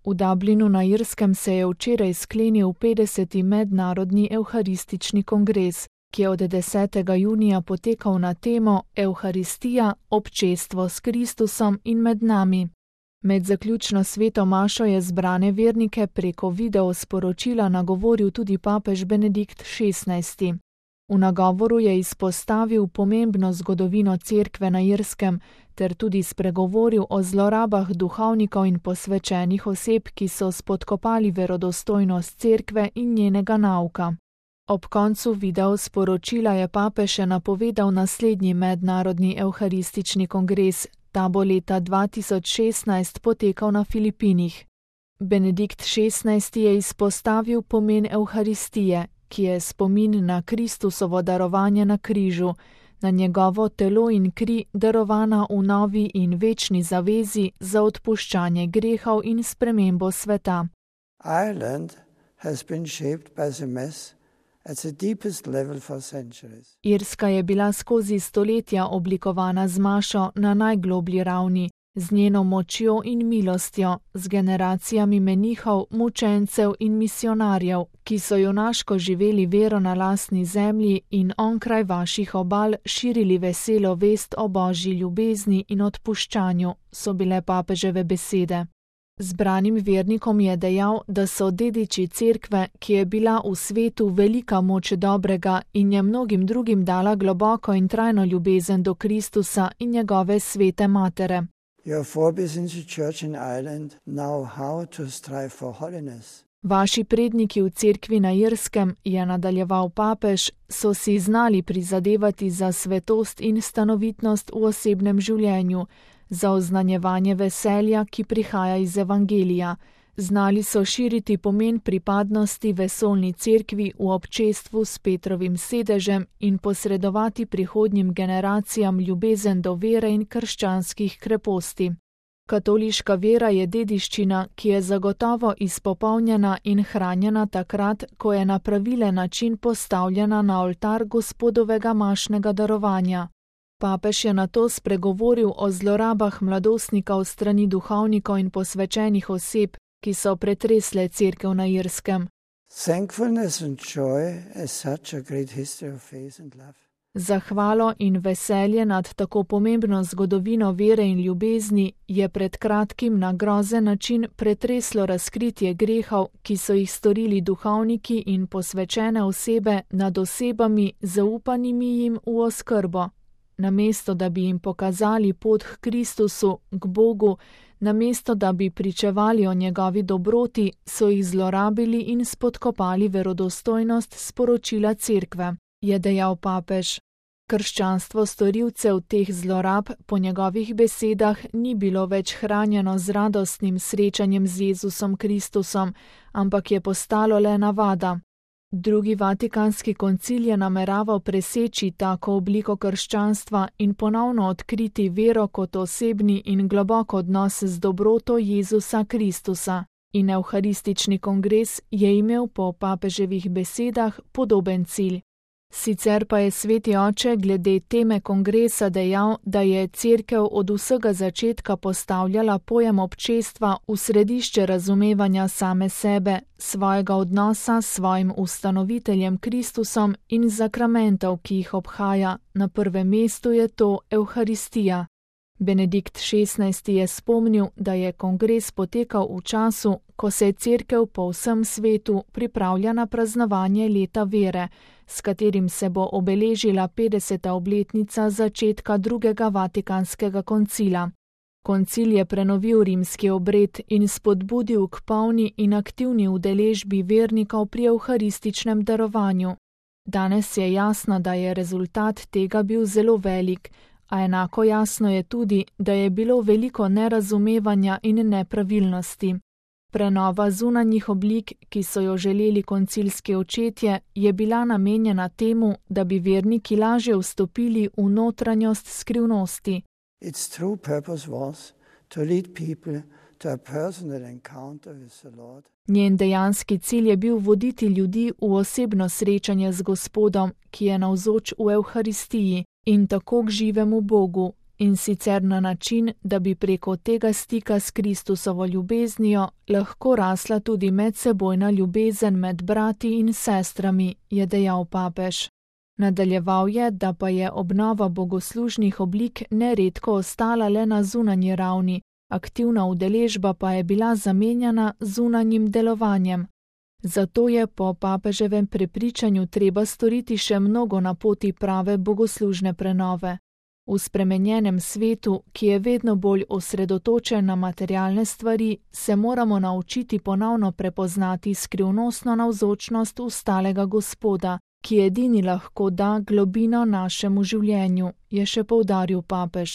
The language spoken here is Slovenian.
V Dublinu na Irskem se je včeraj sklenil 50. mednarodni evharistični kongres, ki je od 10. junija potekal na temo Evharistija, občestvo s Kristusom in med nami. Med zaključno sveto mašo je zbrane vernike preko video sporočila nagovoril tudi papež Benedikt XVI. V nagovoru je izpostavil pomembno zgodovino cerkve na Irskem ter tudi spregovoril o zlorabah duhovnikov in posvečenih oseb, ki so spodkopali verodostojnost cerkve in njenega nauka. Ob koncu video sporočila je papež še napovedal naslednji mednarodni evharistični kongres. Ta bo leta 2016 potekal na Filipinih. Benedikt XVI. Je izpostavil pomen Evharistije, ki je spomin na Kristusovo darovanje na križu, na njegovo telo in kri darovana v novi in večni zavezi za odpuščanje grehov in spremembo sveta. Ireland has been shaped by the Mass at the deepest level for centuries. Irska je bila skozi stoletja oblikovana z mašo na najgloblji ravni, z njeno močjo in milostjo, z generacijami menihov, mučencev in misionarjev, ki so junaško živeli vero na lastni zemlji in onkraj vaših obal širili veselo vest o Božji ljubezni in odpuščanju, so bile papeževe besede. Zbranim vernikom je dejal, da so dediči cerkve, ki je bila v svetu velika moč dobrega in je mnogim drugim dala globoko in trajno ljubezen do Kristusa in njegove svete matere. Vaši predniki v cerkvi na Irskem, je nadaljeval papež, so si znali prizadevati za svetost in stanovitnost v osebnem življenju, za oznanjevanje veselja, ki prihaja iz evangelija. Znali so širiti pomen pripadnosti vesoljni cerkvi v občestvu s Petrovim sedežem in posredovati prihodnjim generacijam ljubezen do vere in krščanskih kreposti. Katoliška vera je dediščina, ki je zagotovo izpopolnjena in hranjena takrat, ko je na pravilen način postavljena na oltar Gospodovega mašnega darovanja. Papež je nato spregovoril o zlorabah mladostnikov strani duhovnikov in posvečenih oseb, ki so pretresle cerkev na Irskem. Zahvalo in veselje nad tako pomembno zgodovino vere in ljubezni je pred kratkim na grozen način pretreslo razkritje grehov, ki so jih storili duhovniki in posvečene osebe nad osebami, zaupanimi jim v oskrbo. Namesto da bi jim pokazali pot k Kristusu, k Bogu, namesto da bi pričevali o njegovi dobroti, so jih zlorabili in spodkopali verodostojnost sporočila cerkve, je dejal papež. Krščanstvo storilcev teh zlorab po njegovih besedah ni bilo več hranjeno z radostnim srečanjem z Jezusom Kristusom, ampak je postalo le navada. Drugi vatikanski koncil je nameraval preseči tako obliko krščanstva in ponovno odkriti vero kot osebni in globok odnos z dobroto Jezusa Kristusa. In evharistični kongres je imel po papeževih besedah podoben cilj. Sicer pa je sveti oče glede teme kongresa dejal, da je cerkev od vsega začetka postavljala pojem občestva v središče razumevanja same sebe, svojega odnosa s svojim ustanoviteljem Kristusom in zakramentov, ki jih obhaja. Na prvem mestu je to Evharistija. Benedikt XVI. Je spomnil, da je kongres potekal v času, ko se je cerkev po vsem svetu pripravlja na praznovanje leta vere, s katerim se bo obeležila 50. obletnica začetka drugega vatikanskega koncila. Koncil je prenovil rimski obred in spodbudil k polni in aktivni udeležbi vernikov pri evharističnem darovanju. Danes je jasno, da je rezultat tega bil zelo velik, a enako jasno je tudi, da je bilo veliko nerazumevanja in nepravilnosti. Prenova zunanjih oblik, ki so jo želeli koncilski očetje, je bila namenjena temu, da bi verniki lažje vstopili v notranjost skrivnosti. Njen dejanski cilj je bil voditi ljudi v osebno srečanje z Gospodom, ki je navzoč v Evharistiji, in tako k živemu Bogu, in sicer na način, da bi preko tega stika s Kristusovo ljubeznijo lahko rasla tudi medsebojna ljubezen med brati in sestrami, je dejal papež. Nadaljeval je, da pa je obnova bogoslužnih oblik neredko ostala le na zunanji ravni, aktivna udeležba pa je bila zamenjana zunanjim delovanjem. Zato je po papeževem prepričanju treba storiti še mnogo na poti prave bogoslužne prenove. V spremenjenem svetu, ki je vedno bolj osredotočen na materialne stvari, se moramo naučiti ponovno prepoznati skrivnostno navzočnost ustalega Gospoda, ki edini lahko da globino našemu življenju, je še poudaril papež.